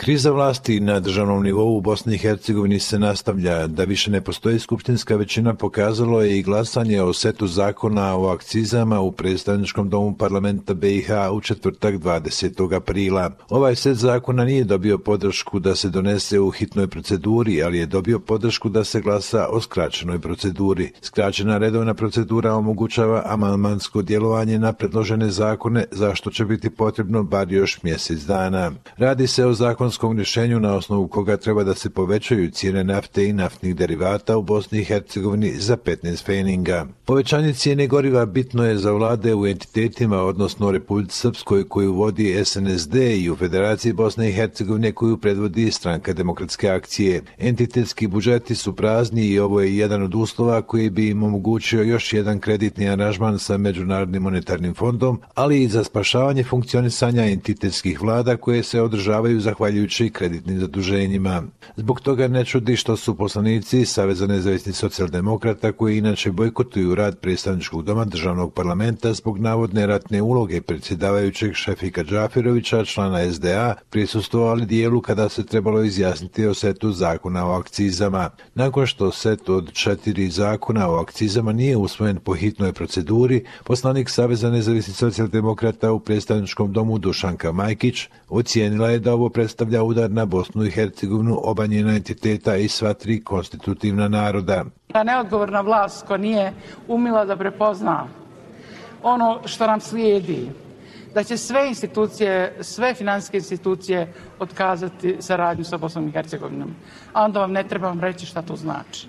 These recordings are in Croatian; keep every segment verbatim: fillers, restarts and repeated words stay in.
Kriza vlasti na državnom nivou u Bosni i Hercegovini se nastavlja. Da više ne postoji skupštinska većina pokazalo je i glasanje o setu zakona o akcizama u predstavničkom domu parlamenta B i H u četvrtak dvadesetog aprila. Ovaj set zakona nije dobio podršku da se donese u hitnoj proceduri, ali je dobio podršku da se glasa o skraćenoj proceduri. Skraćena redovna procedura omogućava amandmansko djelovanje na predložene zakone, za što će biti potrebno bar još mjesec dana. Radi se o zakonskom rješenju na osnovu koga treba da se povećaju cijene nafte i naftnih derivata u Bosni i Hercegovini za petnaest pfeninga. Povećanje cijene goriva bitno je za vlade u entitetima, odnosno Republici Srpskoj koju vodi S N S D i u Federaciji Bosne i Hercegovine koju predvodi Stranka demokratske akcije. Entitetski budžeti su prazni i ovo je jedan od uslova koji bi im omogućio još jedan kreditni aranžman sa Međunarodnim monetarnim fondom, ali i za spašavanje funkcionisanja entitetskih vlada koje se održavaju zahvaljujući kreditnim zaduženjima. Zbog toga ne čudi što su poslanici Saveza nezavisnih socijaldemokrata koji inače bojkotuju rad predstavničkog doma državnog parlamenta zbog navodne ratne uloge predsjedavajućeg Šefika Džafirovića, člana S D A, prisustvovali dijelu kada se trebalo izjasniti o setu zakona o akcizama. Nakon što set od četiri zakona o akcizama nije usvojen po hitnoj proceduri, poslanik Saveza nezavisnih socijaldemokrata u predstavničkom domu Dušanka Majkić ocijenila je da ovo predstavlja udar na Bosnu i Hercegovinu, oba njena entiteta i sva tri konstitutivna naroda. Ta neodgovorna vlast koja nije umila da prepozna ono što nam slijedi, da će sve institucije, sve financijske institucije otkazati saradnju sa Bosnom i Hercegovinom. A onda vam ne trebam reći šta to znači.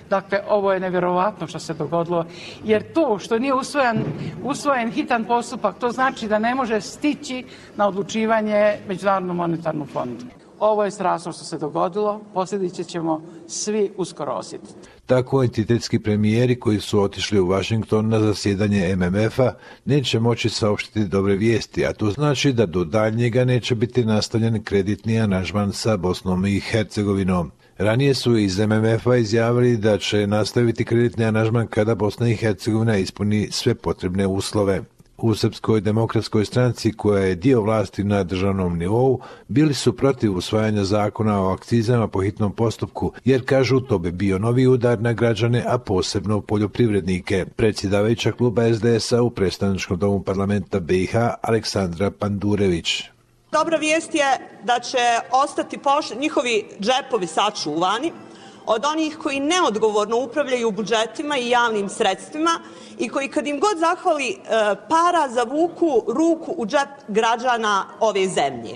Dakle, ovo je nevjerovatno što se dogodilo, jer to što nije usvojen, usvojen hitan postupak, to znači da ne može stići na odlučivanje Međunarodnom monetarnom fondu. Ovo je strašno što se dogodilo, posljedice ćemo svi uskoro osjetiti. Tako entitetski premijeri koji su otišli u Washington na zasjedanje M M F-a neće moći saopštiti dobre vijesti, a to znači da do daljnjega neće biti nastavljen kreditni aranžman sa Bosnom i Hercegovinom. Ranije su iz M M F-a izjavili da će nastaviti kreditni aranžman kada Bosna i Hercegovina ispuni sve potrebne uslove. U Srpskoj demokratskoj stranci, koja je dio vlasti na državnom nivou, bili su protiv usvajanja zakona o akcizama po hitnom postupku, jer kažu to bi bio novi udar na građane, a posebno poljoprivrednike. Predsjedavajuća kluba S D S-a u predstavničkom domu parlamenta B i H Aleksandra Pandurević. Dobra vijest je da će ostati poš- njihovi džepovi sačuvani od onih koji neodgovorno upravljaju budžetima i javnim sredstvima i koji kad im god zahvali e, para zavuku ruku u džep građana ove zemlje.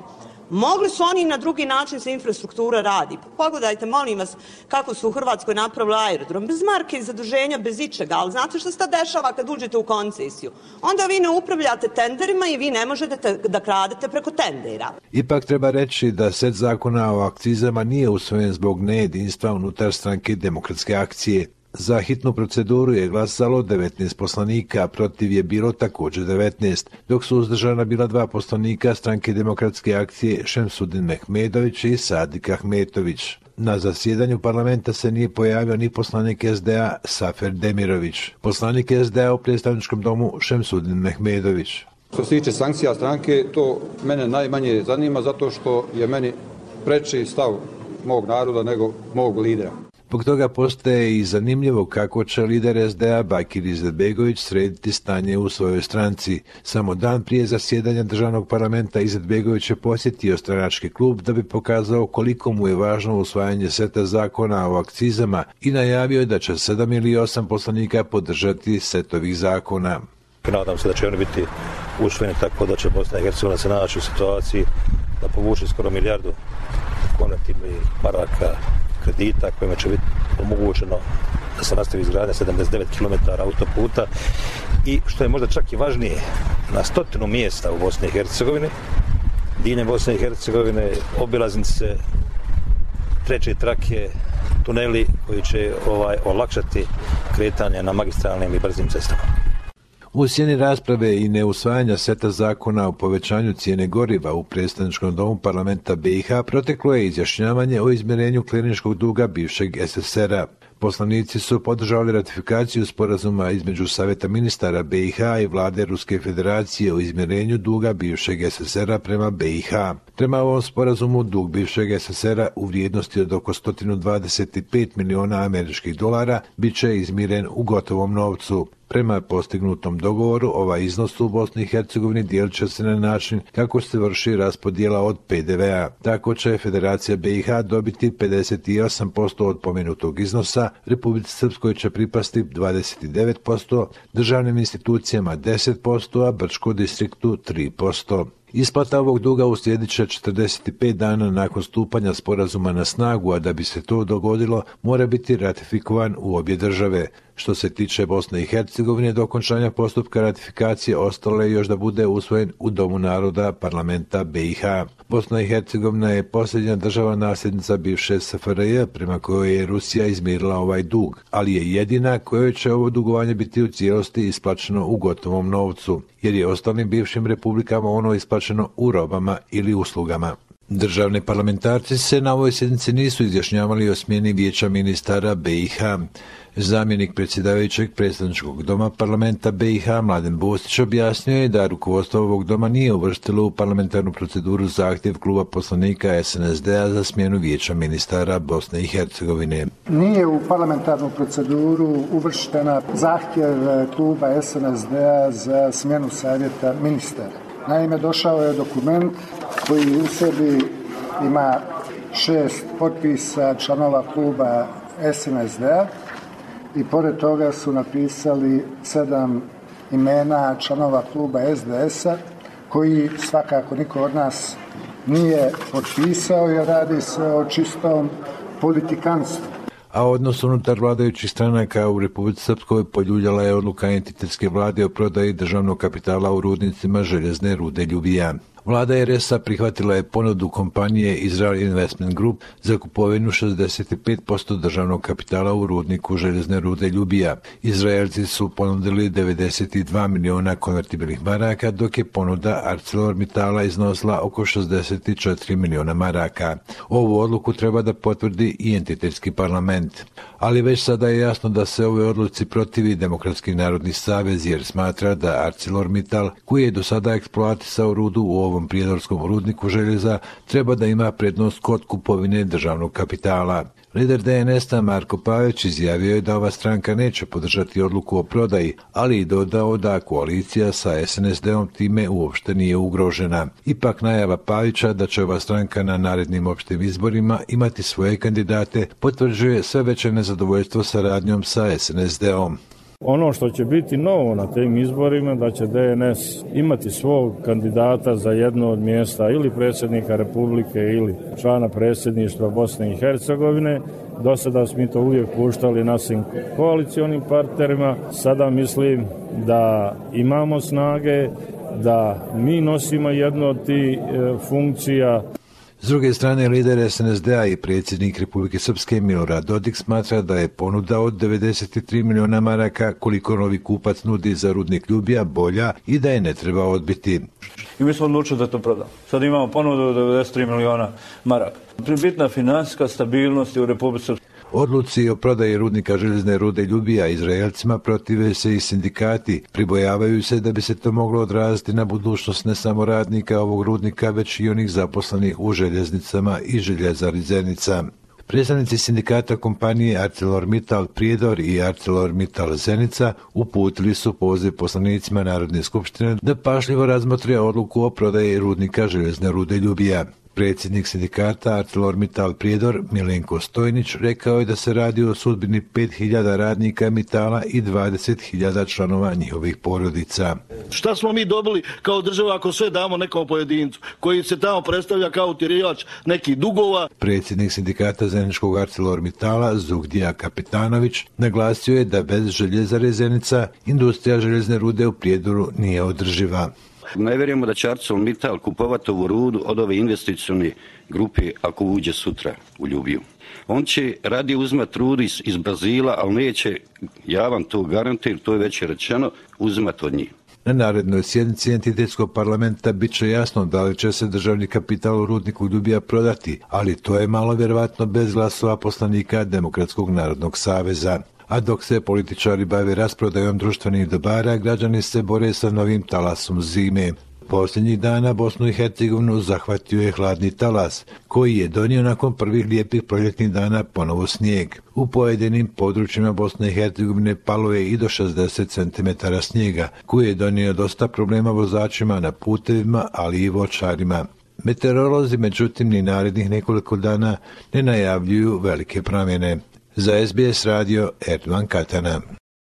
Mogli su oni na drugi način se infrastruktura radi. Pogledajte, molim vas, kako su u Hrvatskoj napravili aerodrom. Bez marke i zaduženja, bez ičega. Ali znate što se dešava kad uđete u koncesiju? Onda vi ne upravljate tenderima i vi ne možete da kradete preko tendera. Ipak treba reći da set zakona o akcizama nije usvojen zbog nejedinstva unutar Stranke demokratske akcije. Za hitnu proceduru je glasalo devetnaest poslanika, a protiv je bilo također devetnaest, dok su uzdržana bila dva poslanika Stranke demokratske akcije Šemsudin Mehmedović i Sadik Ahmetović. Na zasjedanju parlamenta se nije pojavio ni poslanik S D A Safer Demirović. Poslanik S D A u predstavničkom domu Šemsudin Mehmedović. Što se tiče sankcija stranke, to mene najmanje zanima zato što je meni preči stav mog naroda nego mog lidera. Zbog toga postaje i zanimljivo kako će lider S D A Bakir Izetbegović srediti stanje u svojoj stranci. Samo dan prije zasjedanja državnog parlamenta Izetbegović je posjetio stranački klub da bi pokazao koliko mu je važno usvajanje seta zakona o akcizama i najavio je da će sedam ili osam poslanika podržati set ovih zakona. Nadam se da će oni biti usvojeni tako da će Bosna i Hercegovina se naći u situaciji da povuče skoro milijardu konvertibilnih maraka kredita kojima će biti omogućeno da se nastavi izgradnja sedamdeset devet kilometara autoputa i što je možda čak i važnije, na stotinu mjesta u Bosni i Hercegovini, diljem Bosne i Hercegovine, obilaznice, treće trake, tuneli koji će ovaj olakšati kretanje na magistralnim i brzim cestama. U sjeni rasprave i neusvajanja seta zakona o povećanju cijene goriva u predstavničkom domu parlamenta B i H proteklo je izjašnjavanje o izmirenju kliničkog duga bivšeg S S S R-a. Poslanici su podržali ratifikaciju sporazuma između Saveta ministara B i H i vlade Ruske federacije o izmirenju duga bivšeg S S R-a prema B i H. Prema ovom sporazumu dug bivšeg S S R-a u vrijednosti od oko sto dvadeset pet miliona američkih dolara bit će izmiren u gotovom novcu. Prema postignutom dogovoru, ovaj iznos u Bosni i Hercegovini dijelit će se na način kako se vrši raspodjela od P D V-a. Tako će Federacija B i H dobiti pedeset osam posto od pomenutog iznosa, Republici Srpskoj će pripasti dvadeset devet posto, državnim institucijama deset posto, a Brčko distriktu tri posto. Isplata ovog duga uslijedit će četrdeset pet dana nakon stupanja sporazuma na snagu, a da bi se to dogodilo mora biti ratifikovan u obje države. Što se tiče Bosne i Hercegovine, do okončanja postupka ratifikacije ostalo je još da bude usvojen u Domu naroda parlamenta B i H. Bosna i Hercegovina je posljednja država nasljednica bivše S F R J prema kojoj je Rusija izmirila ovaj dug, ali je jedina kojoj će ovo dugovanje biti u cijelosti isplaćeno u gotovom novcu, jer je ostalim bivšim republikama ono isplaćeno u robama ili uslugama. Državni parlamentarci se na ovoj sjednici nisu izjašnjavali o smjeni vijeća ministara B i H. Zamjenik predsjedavajućeg predstavničkog doma parlamenta B i H Mladen Bostić objasnio je da rukovodstvo ovog doma nije uvrstilo u parlamentarnu proceduru zahtjev kluba poslanika S N S D-a za smjenu vijeća ministara Bosne i Hercegovine. Nije u parlamentarnu proceduru uvrštena zahtjev kluba S N S D-a za smjenu savjeta ministara. Naime, došao je dokument koji u sebi ima šest potpisa članova kluba S N S D-a i pored toga su napisali sedam imena članova kluba S D S-a koji svakako niko od nas nije potpisao jer radi se o čistom politikanstvu. A odnos unutar vladajućih stranaka u Republici Srpskoj poljuljala je odluka entitetske vlade o prodaji državnog kapitala u rudnicima željezne rude Ljubija. Vlada R S-a prihvatila je ponudu kompanije Israel Investment Group za kupovinu šezdeset pet posto državnog kapitala u rudniku željezne rude Ljubija. Izraelci su ponudili devedeset dva miliona konvertibilnih maraka, dok je ponuda ArcelorMittala iznosila oko šezdeset četiri miliona maraka. Ovu odluku treba da potvrdi i entitetski parlament. Ali već sada je jasno da se ovoj odluci protivi Demokratski narodni savez jer smatra da ArcelorMittal, koji je do sada eksploatisao rudu u ovom prijedorskom rudniku željeza, treba da ima prednost kod kupovine državnog kapitala. Lider D N S-a Marko Pavić izjavio je da ova stranka neće podržati odluku o prodaji, ali i dodao da koalicija sa S N S D-om time uopšte nije ugrožena. Ipak najava Pavića da će ova stranka na narednim opštim izborima imati svoje kandidate potvrđuje sve veće nezadovoljstvo saradnjom sa S N S D-om. Ono što će biti novo na tim izborima da će D N S imati svog kandidata za jedno od mjesta ili predsjednika Republike ili člana predsjedništva Bosne i Hercegovine. Do sada smo to uvijek puštali našim koalicionim partnerima. Sada mislim da imamo snage, da mi nosimo jednu od tih e, funkcija. S druge strane, lider S N S D-a i predsjednik Republike Srpske Milorad Dodik smatra da je ponuda od devedeset tri miliona maraka koliko novi kupac nudi za rudnik Ljubija bolja i da je ne treba odbiti. I mi smo odlučili da to prodamo. Sad imamo ponudu od devedeset tri miliona maraka. Bitna financijska stabilnost u Republike Srpske. Odluci o prodaji rudnika željezne rude Ljubija Izraelcima protive se i sindikati. Pribojavaju se da bi se to moglo odraziti na budućnost ne samo radnika ovog rudnika, već i onih zaposlenih u željeznicama i željezari Zenica. Predstavnici sindikata kompanije ArcelorMittal Prijedor i ArcelorMittal Zenica uputili su poziv poslanicima Narodne skupštine da pažljivo razmotre odluku o prodaji rudnika željezne rude Ljubija. Predsjednik sindikata ArcelorMittal Prijedor Milenko Stojnić rekao je da se radi o sudbini pet hiljada radnika Mittala i dvadeset hiljada članova njihovih porodica. Šta smo mi dobili kao država ako sve damo nekom pojedincu koji se tamo predstavlja kao utjerivač nekih dugova? Predsjednik sindikata Zeničkog ArcelorMittala Zugdija Kapitanović naglasio je da bez željezare Zenica industrija željezne rude u Prijedoru nije održiva. Ne vjerujemo da će ArcelorMittal kupovati ovu rudu od ove investicione grupe ako uđe sutra u Ljubiju. On će radi uzmati rudu iz, iz Brazila, ali neće, ja vam to garantujem, to je već rečeno, uzmati od njih. Na narednoj sjednici entitetskog parlamenta bit će jasno da li će se državni kapital u rudniku Ljubija prodati, ali to je malo vjerovatno bez glasova poslanika Demokratskog narodnog saveza. A dok se političari bave rasprodajom društvenih dobara, građani se bore sa novim talasom zime. Posljednjih dana Bosnu i Hercegovinu zahvatio je hladni talas, koji je donio nakon prvih lijepih proljetnih dana ponovo snijeg. U pojedinim područjima Bosne i Hercegovine palo je i do šezdeset centimetara snijega, koji je donio dosta problema vozačima na putevima, ali i voćarima. Meteorolozi međutim ni narednih nekoliko dana ne najavljuju velike promjene. Za S B S radio Erdogan Katana.